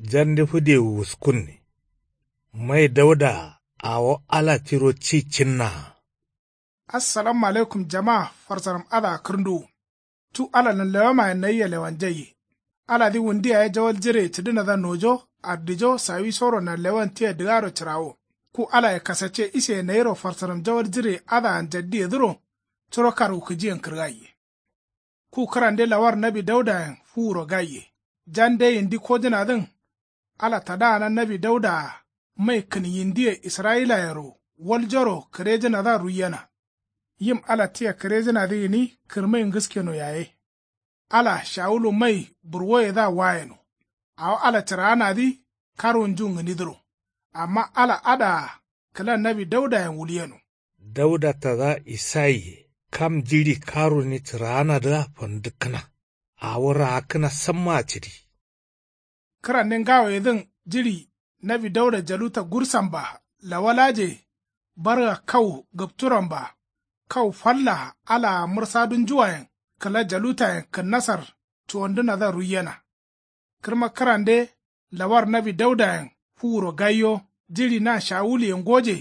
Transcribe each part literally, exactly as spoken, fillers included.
Jande fǝde wuskunne. Mai dauda awo ala tiro ci cinna. Assalamu alaikum jama. Farsaram adǝa kǝrǝnduwu. Cu alalan lewamayen nayia lewanjaiye. Aladǝ wundu yaye jawal jire cǝdǝnadǝa nojo ardijo sawisoro nanlewan tia dǝgaro cǝrawo. Ku alaye kasacce iseye nayiro farsaram jawal jire adǝa njaddiyedǝro. Curo karwukǝjiyen kǝrgaiye. Ku kǝrande lawar nawi daudayen fuwuro gaiye. Jande yindi kojǝnadǝn. Ala tadaana nawi daudaa mai kǝn yindiye israyilayero waljoro kǝrejǝnadǝa ruiyena. Yim ala tia kǝrejǝnadǝ gǝni kǝrmai ngǝskeno yaye. Ala shawulu mai burwoyedǝa wayeno. Awo ala cǝraanadǝ karwunjun gǝnidǝro. Amma ala adǝa kǝla nawi daudayen wulyeno. Dauda tada isayiye kam jiɍi karuni cǝraanadǝa fandǝkkǝna. Awo raakkǝna sammaa cǝdi. Kǝrande ngawayedǝn jiɍi nawi dauda jaluta gursan ba lawalaje. Barga kau gǝpturan ba kau falla alaa mǝrsadunjuwayen kǝla jalutayen kǝnnasar cuwandǝnadǝa ruiyena. Kǝrma kǝrande lawar nawi daudayen fuwuro gaiyo jiɍi na shawuluye ngoje.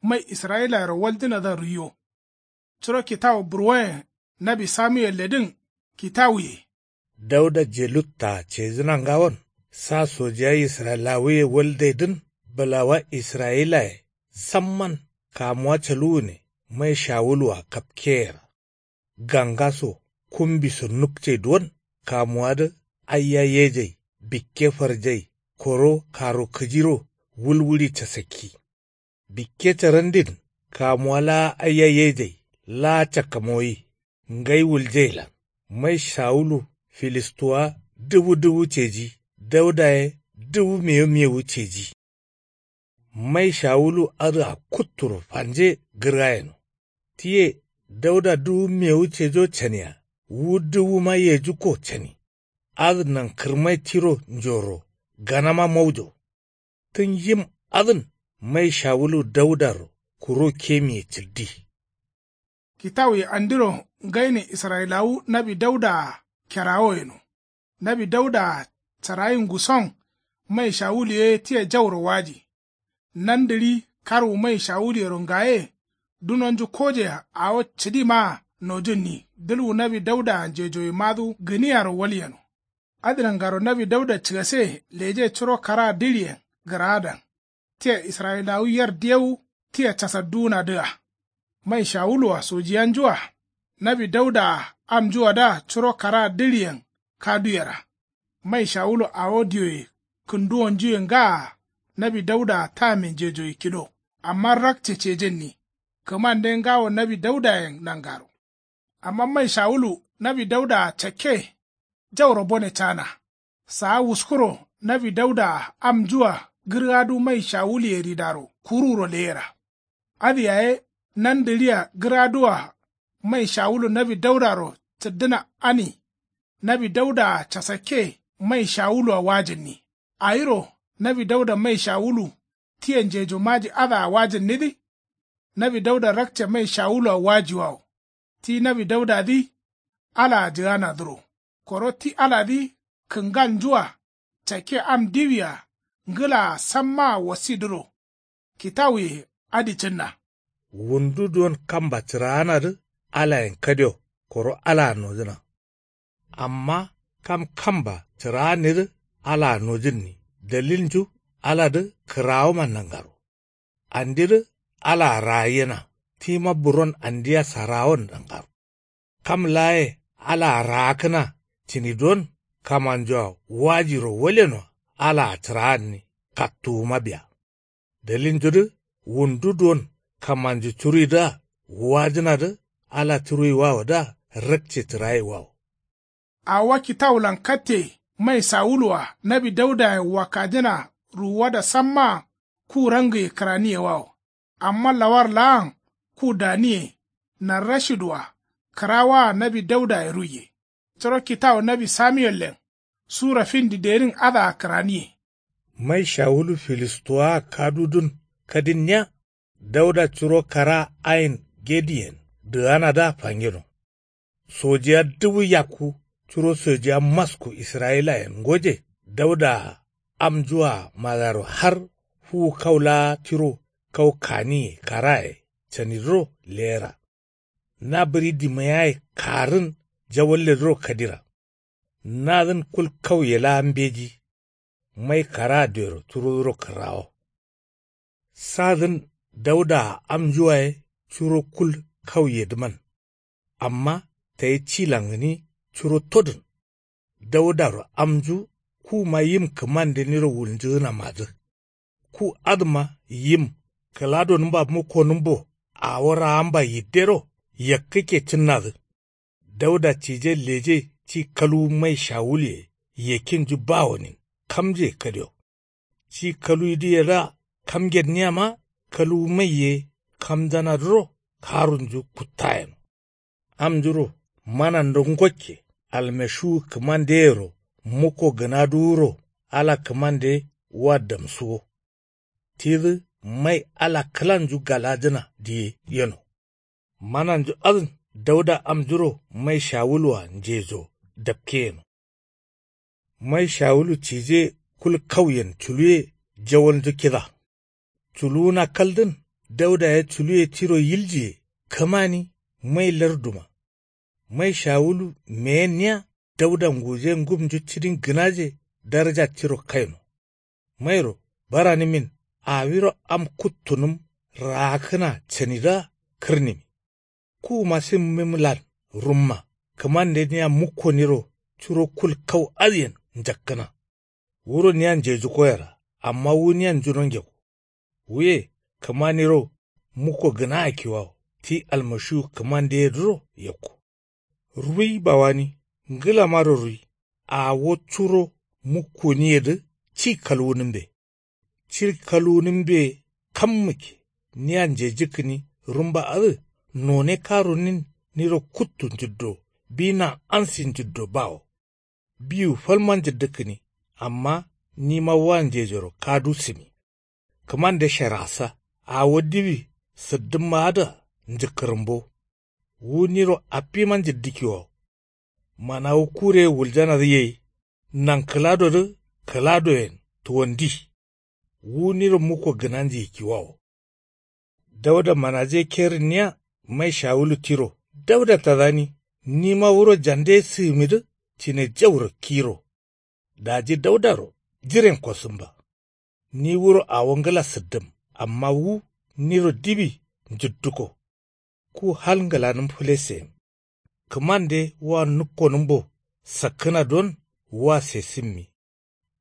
Mai israyilayero waljǝnadǝa ruiyo. Curo kitawu burwoyen nawi samuyelledǝn kitawuye. Dauda jelutta cejǝna ngawon sa sojiya israyilawuye waldaidǝn bǝlawa israyilaye samman kamuwa caluwune mai shawuluwa kapkeyera. Gangaso kumbiso nukcai duwon kamuwadǝ aiya yejai bikke farjai koro karo kǝjiro wulwuɍi casakki. Bikke carandin kamuwa laa aiya yejai laa cakkamoyi. Ngai wuljailan mai shawulu filistuwa dǝwu dǝwu ceji dauda ye dǝwu mewu mewu ceji. Mai shawulu adǝa kutturo fanje gǝrgayeno. Tiye dauda dǝwu mewu cejo cania wu dǝwuma yejukko cani. Adǝ nankǝrmai tiro njoro ganama maujo. Tǝn yim adǝn mai shawulu daudaro kuro kemiye cǝldi. Kitawuye andiro ngaine israyilawu nawi daudaa kerawo yeno. Nawi daudaa carayin nguson mai shawulu ye tia jauro waji. Nandǝɍi karwu mai shawuluyero ngaye. Dunonju kojea awo cǝdimaa nojunni dǝlwu nawi daudaa njejoyimadu gǝniyaro walyeno. Adǝ nangaro nawi dauda cǝgase leje curo karaa dǝɍiyen gǝraadan. Tia israyilawu yer diyewu tia casadduwunadǝa. Mai shawulu-a sojiyanju-a nawi dauda-a amnju-adǝa curo karaa dǝɍiyen kaduyera. Mai shawulu awo diyoye kǝnduwonjuye ngaa nawi dauda-a tame njejoye kido. Amma rakce cejenni kǝmande ngawo nawi daudayen nangaro. Amma mai shawulu nawi dauda-a cakke jauro bone cana. Saa wuskuro nawi dauda-a amnju-a gǝrgadu mai shawuluye ridaro kuruwuro leyera. Adǝ yaye nandǝɍia gǝrgadu-a mai shawulu nawi daudaro cǝddǝna ani. Nawi dauda-a casakke mai shawulu-a wajǝnni. Awiro nawi dauda mai shawulu tia njejo maji adǝa wajǝnnidǝ. Nawi dauda rakce mai shawulu-a wajiwawo. Ti nawi daudadǝ alaa jǝganadǝro. Koro ti aladǝ kǝngalnju-a cakke am diwi-a ngǝlaa sammaa wasidǝro. Kitawuye adǝ cǝnna. Wundu duwon kamba cǝraanadǝ alayen kadio koro alaa nojǝna. Amma kam kamba cǝraannidǝ alaa nojǝnni dalilnju aladǝ kǝrawoman nangaro. Andidǝ alaa raayyena tima buron andia sarawon nangaro. Kam laaye alaa raakkǝna cǝni duwon kamanjua wajiro walyenoa alaa cǝraanni kattuwuma biya. Dalilnjudǝ wundu duwon kamanju curuidǝa wajǝnadǝ ala curuiwawodǝa rakce cǝraiwawo. Awo kitawulan katte mai sawulu-a nawi daudayen wakkajǝna ruwuwada sammaa ku rangǝye kǝraniyewawo. Amma lawar laan ku daniye narrashidu-a kǝrawaa nawi daudaye ruiye. Curo kitawu nawi samiyellen sura findi derin adǝa kǝraniye. Mai shawulu filistuwaa kadudun kadinniya dauda curo kara ain gediyen dǝganadǝa fangeno. Sojiya duwu yakku curo sojiya masku israyilayen ngoje daudaa amnjua madaro har fuwu kau laa tiro kau kaniye karaye canidǝro leyera. Na bǝɍi dimayaye karǝn jawalledǝro kadira. Nadǝn kul kauye laa mbeji. Mai karaa dero turodǝro kǝrrawo. Sadǝn daudaa amnjuwaye curo kul kauyedǝman. Amma tayi cilan gǝni curo todǝn. Daudaro amnju kuma yim kǝmande niro wulnjǝgǝnamadǝ. Ku adǝma yim kǝladonǝmba mukkonǝmbo awo raamba yiddero yakkǝkke cǝnnadǝ. Dauda cije leje ci kaluwu mai shawuluye yakkinju bawonin kamjuye kadio. Ci kaluwiduyedǝa kamgedniyama kaluwu maiye kamjanadǝro karunju kuttayeno. Amnjuro manando ngokke almashiwu kǝmandeyero mukko gǝnaduwuro ala kǝmande wa damsuwo. Tidǝ mai ala kǝlanju galajǝna diye yeno. Mananju adǝn dauda amnjuro mai shawulua njejo dapke yeno. Mai shawulu cije kul kauyen culuwe jawalnju kida. Culuwuna kaldǝn daudaye culuwe tiro yiljiye kǝmani mai larduma. Mai shawulu meyenniya dauda nguje ngumnju cidin gǝnaje daraja tiro kaino. Mairo baranǝmin awiro am kuttunǝm raakkǝna canidǝa kǝrnǝmi. Kuma simmimlan rumma kǝmande niya mukkoniro curo kul kau adǝyen njakkǝna. Wuro niya njejukoyera amma wu niya njunongeko. Wuye kǝmaniro mukko gǝnaa kiwawo ti almashiwu kǝmandeyedǝro yakko. Ruwi bawani ngǝlamaro ruwi. Awo curo mukkoniyedǝ ci kalwunǝmbe. Ci kalwunǝmbe kam mǝkke niya njejikkǝni rumba adǝ none karunin niro kuttu njǝddo bina ansi njǝddo bawo. Biwu falma njǝddǝkkǝni amma nima wa njejoro kadu sǝmi. Kǝmande sharasa awo diwi sǝddǝmma adǝa njǝkkǝrǝmbo. Wu niro affima njǝddǝkkiwawo. Manawu kureye wuljanadǝ yai. Nankǝladodǝ kǝladoyen tuwandi. Wu niro mukko gǝnanjiye kiwawo. Dauda manaje kerǝnniya mai shawulu tiro dauda tadani nima wuro jande sǝgǝmidǝ cine jauro kiro. Daji daudaro jiren kosǝmba. Ni wuro awo ngǝla sǝddǝm amma wu niro diwi njǝdduko. Ku hal ngǝlanǝm fǝleseyim. Kǝmande wa nukkonǝmbo sakkǝna duwon wa sesǝmmi.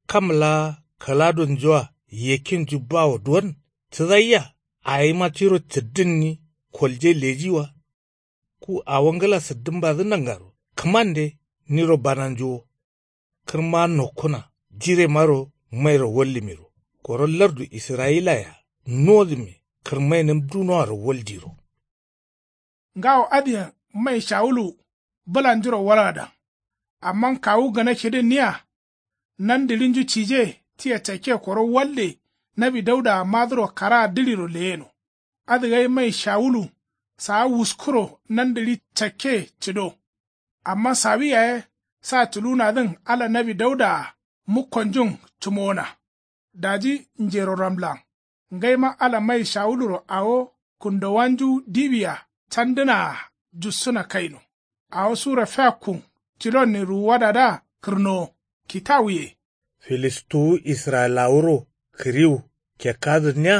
Kam laa kǝladonjua yakkinju bawo duwon cǝdaiya awima tiro cǝddǝnni kolje lejiwa. Ku awo ngǝla sǝddǝmbadǝ nangaro kǝmande niro bananju wo. Kǝrma nokkuna jiremaro mairo wallǝmiro koro lardu israyila-a nodǝmme kǝrmainǝm dunoaro waldiro. Ngawo adǝyen mai shawulu bǝlanjuro walgada. Amma kawu gana kidǝnniya nandǝɍinju cije tia cakke koro walde nawi daudaa madǝro karaa dǝɍiro leyeno. Adǝ gai mai shawulu saa wuskuro nandǝɍi cakke cǝdo. Amma sawi yaye sa culuwunadǝn ala nawi daudaa mukkonjun cǝmowona. Daji njero ramlan ngaima ala mai shawuluro awo kundowanju diwia candǝnaa jussǝna kaino. Awo sura fiakkun cilonnin ruwuwadadǝa kǝrnowo kitawuye. Filistuwu israyilawuro kǝriwu kekkadǝnniya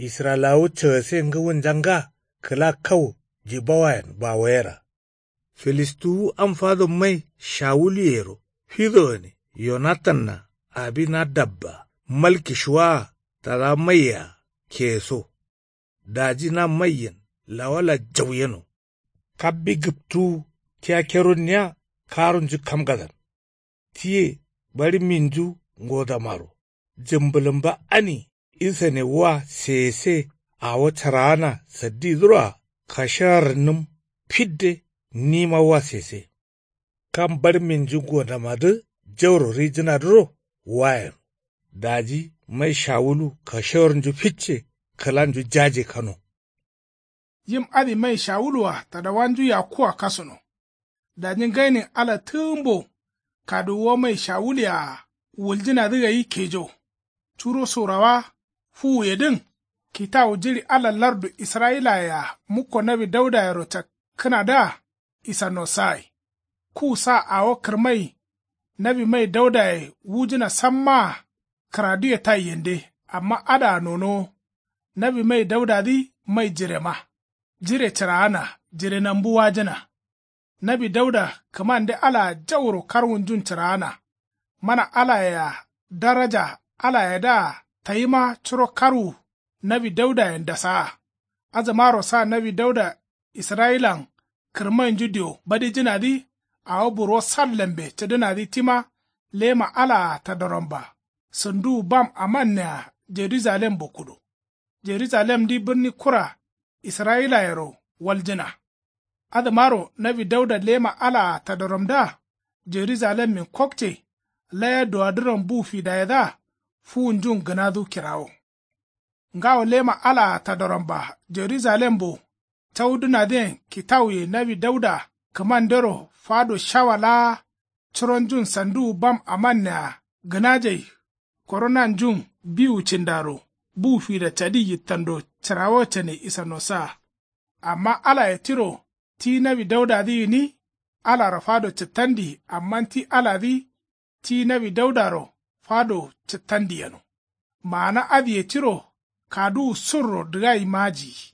israyilawu cagase ngǝwunja nga kǝla kau jibawayen bawoyera. Filistuwu am fado mai shawuluyero fidogane yonatanna abinadabba malkishuwaa tada maiyea keyeso. Daji na maiyen lawala jau yeno. Kabbi gǝptuwu tia keronniya karunju kamgadan. Tiye baɍǝmminju ngodamaro jǝmbǝlǝmba ani isane wa seyese awo caraana saddidǝroa kashagarnǝm fidde nima wa sese. Kam baɍǝmminju ngodamadǝ jauro rijǝnadǝro wayen. Daji mai shawulu kashagarnju ficce kǝlanju jaje kano. Yim adǝ mai shawulua tadawanju yakkua kasuno. Daji ngainin ala tǝgǝmbo kaduwuwa mai shawuluyea wuljǝnadǝ gai kejo. Curo surawa fuwuyedǝn kitawu jiɍi ala lardu israyilaye-a mukko nawi daudayero cakkǝnadǝa isanosagai. Ku sa awo kǝrmai nawi mai daudaye wujǝna sammaa kǝraduwe taiyende. Amma adǝa nonowo nawi mai daudadǝ mai jirema jire cǝraana jire nambu wajǝna. Nawi dauda kǝmande alaa jauro karwunjun cǝraana. Mana alayea daraja alayedǝa tayima curo karwu nawi daudayen dasaa. Adǝmaro sa nawi dauda israyilan kǝrmainju dio badijǝnadǝ awo burwo sallembe cǝdǝnadǝ tima lema alaa tadoromba sǝnduwu bam amannea jerujalembo kudo. Jerujalemdǝ bǝrni kura israyilayero waljǝna. Adǝmaro nawi dauda lema alaa tadoromdǝa jerujalemmin kokce laya duwadǝron bu fidayedǝa fuwunjun gǝnadu kirawo. Ngawo lema alaa tadoromba jerujalembo caudǝnadǝyen kitawuye nawi dauda kǝmandero fado shawa laa curonjun sanduwu bam amannea gǝnajai. Koro nanjun biwu cindaro bu fida cadi yittando cǝrawo cane isanosa. Amma alaye tiro ti nawi daudadǝ gǝni alaro fado cǝttandi amma ti aladǝ ti nawi daudaro fado cǝttandi yeno. Maana adǝye tiro kaduwu surro dǝgai majiyi.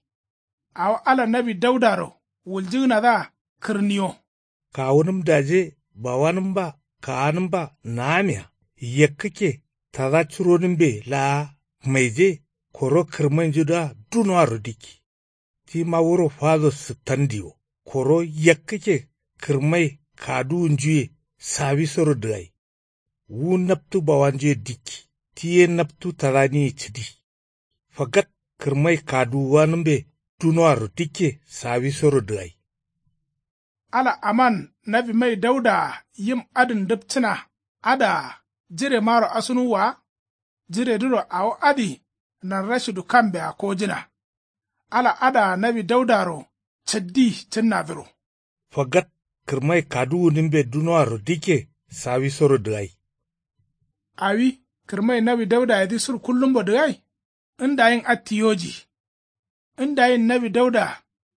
Awo ala nawi daudaro wuljǝgǝnadǝa kǝrniyo. Kawunǝm daje bawanǝmba kaanǝmba naamiya yakkǝkke tada curonǝmbe laa maije koro kǝrmainjudǝa dunoaro dikki. Tima wuro fado sǝttandiwo koro yakkǝkke kǝrmai kaduwunjuye sawisoro dǝgai. Wu naptu bawanjuye dikki ti ye naptu tadaniye cǝdi. Fagat kǝrmai kaduwuwanǝmbe dunoaro dikke sawisoro dǝgai. Ala aman nawi mai daudaa yim adǝn ndǝpcǝna adǝa jiremaro asunuwwa wa. Jiredǝro awo adǝ nanrashidu kambea kojǝna. Ala adǝa nawi daudaro cǝddi cǝnnadǝro. Fagat kǝrmai kaduwunǝmbe dunoaro dikke sawisoro dǝgai. Awi kǝrmai nawi daudayedǝ sur kullumbo dǝgai. Ndayin atti yoji. Ndayin nawi dauda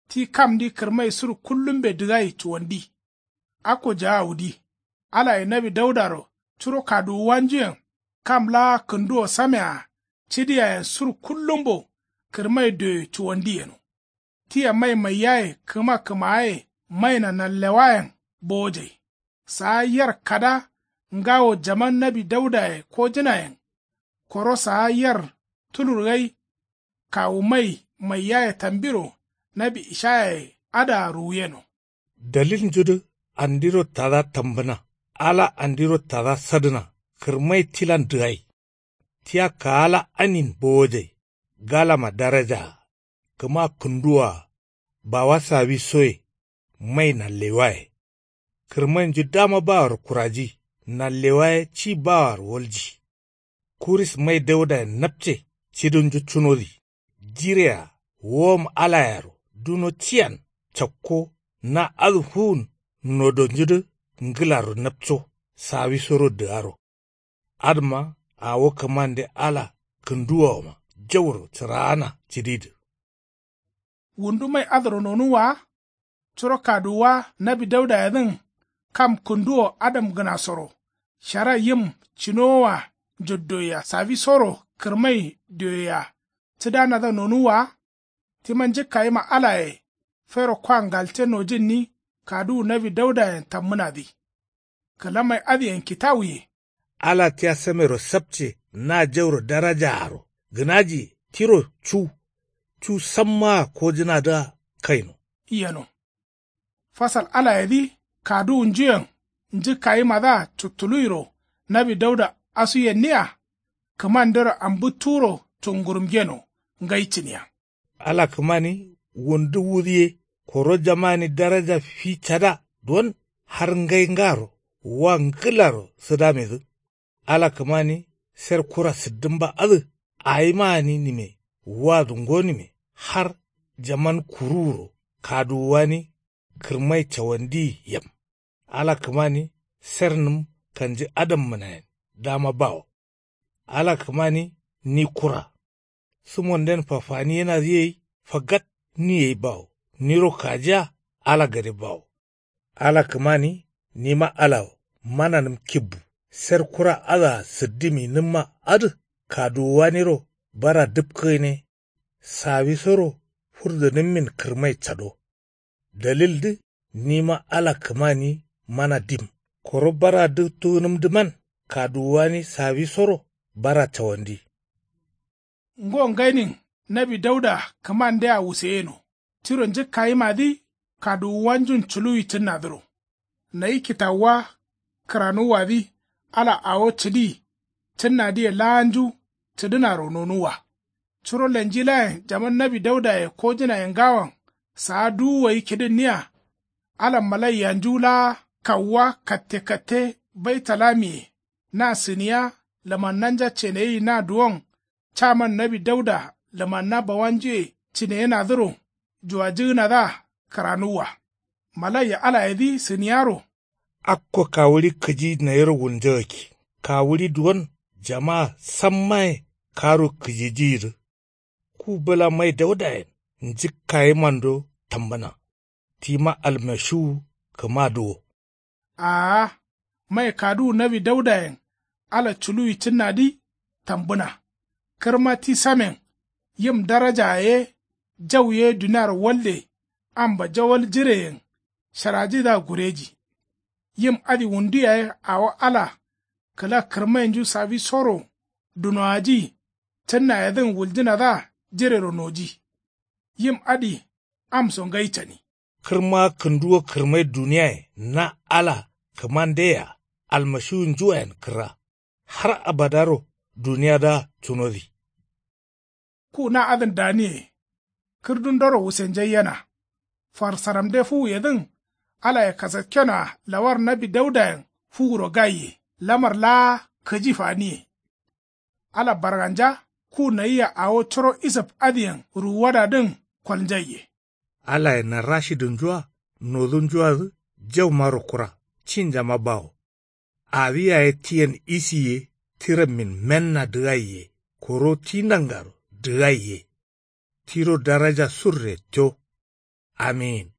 ti kamdi kǝrmai sur kullumbe dǝgai cuwandi. Akko jaawudi alaye nawi daudaro curo kaduwuwanjuyen kam laa kǝnduwo samea cidiyayen sur kullumbo kǝrmai dioye cuwandi yeno. Tia mai maiyaye kǝma kǝmaaye maina nanlewayen bowojai. Saa yer kada ngawo jaman nawi daudaye kojǝnayen. Koro saa yer tulur gai kawu mai maiyaye tambiro nawi ishayaye adǝa ruwuyeno. Dalilnjudǝ andiro tada tambǝna ala andiro tada sadǝna kǝrmai tilan dǝgai. Tia kaala anin bowojai galama darajaa kǝma kǝnduwoa bawa sawisoye mai nanlewaye. Kǝrmainju dama baworo kuraji nanlewaye ci baworo walji. Kuris mai daudayen napce cidunju cunodi. Jirea wowom alayero duno ciyan cakko na adǝ fuwun nodonjudǝ ngǝlaro napco sawisoro dǝgaro. Adǝma awo kǝmande ala kǝnduwoama jauro cǝraana cǝdidǝ. Wundu mai adǝro nonuwwa wa. Curo kaduwuwa nawi daudayedǝn kam kǝnduwo adamgǝnasoro shara yim cinowoa njoddoyea sawisoro kǝrmai dioyea cǝdanadǝa nonuwwa wa. Tima njǝkkayima alaye fero kwa ngalce nojǝnni kaduwu nawi daudayen tammǝnadǝ. Kǝla mai adǝyen kitawuye. Ala tia samero sapce na jauro darajaaro gǝnajiye tiro cu cu sammaa kojǝnadǝa kaino. Yeno. Fasal alayedǝ kaduwunjuyen njǝkkayimadǝa cuttuluiro nawi dauda asuyenniya. Kǝmandero ambǝtturo cungurumgeno ngai cǝniya. Ala kǝmani wundu wudǝ ye koro jamani daraja fi cada don har ngai ngaro wa ngǝlaro sǝdamedǝ. Ala kǝmani ser kura sǝddǝmba adǝ awima gǝni nǝme wadu ngo nǝme har jaman kuruwuro kaduwuwani kǝrmai cawandi yem. Ala kǝmani sernǝm kanjǝ adammǝnayen dama bawo. Ala kǝmani ni kura. Sǝmonden fafaniyenadǝ yei fagat ni gai bawo. Niro kajiya ala gade bawo. Ala kǝmani nima ala wo. Mananǝm kibbu. Ser kura adǝa sǝddiminǝmma adǝ kaduwuwaniro bara dǝpkǝgǝne. Sawisoro furdǝnǝmmin kǝrmai cado. Dalildǝ nima ala kǝmani mana dim. Koro bara dǝptugǝnǝmdǝman kaduwuwani sawisoro bara cawandi. Ngo ngainin nawi dauda kǝmandea wuseyeno. Tiro njǝkkayimadǝ kaduwuwanjun culuwi cǝnnadǝro. Nayi kitawuwa kǝranuwwadǝ ala awo cǝdi cǝnnadǝye laanju cǝdǝnaro nonuwwa. Curo lenjilayen jaman nawi daudaye kojǝnaye ngawoyen saa duwu gai kidǝnniya. Ala malaiyanju laa kawuwa katte katte baitalamiye na sǝniya lamannanja ceneyi na duwon. Caman nawi dauda lamanna bawanjuye cineyenadǝro juwajǝgǝnadǝa kǝranuwwa. Malaiya alayedǝ sǝniyaro. Akko kawuɍi kǝji nayiro wulnjagakki. Kawuɍi duwon jama sammaye karu kǝjijiyidǝ. Ku bǝla mai daudayen njǝkkayimando tambǝna. Tima almashiwu kǝmadǝ wo. Aa. Mai kaduwu nawi daudayen ala culuwi cǝnnadǝ tambǝna. Kǝrma ti samen yim darajaye ye jau ye duniaro walde amba jawal jireyen sharaji da gureji. Yim adǝ wundu yaye awo ala kǝla kǝrmainju sawisoro dunowaji cǝnnayedǝn wuljǝnadǝa jirero noji. Yim adǝ amso ngai cani. Kǝrma kǝnduwo kǝrmai duniyaye na ala kǝmandeyea almashiwunjuwayen kǝrra. Har abadaro duniyadǝa cunodǝ. Ku na adǝn daniye kǝrdundoro wusenjaiyena. Farsaramde fuwuyedǝn alaye kasakkenoa lawar nawi daudayen fuwuro gaiye. Lamar laa kǝji faniye. Ala barganja ku nayia awo curo isap adǝyen ruwuwadadǝn kolnjaiye. Alaye narashidǝnjua nodunjuadǝ jaumaro kura cinjama bawo. Awi yaye tiyen isiye tirammin menna dǝgaiye. Koro ti nangaro dǝgaiye. Tiro daraja surre co. Amin.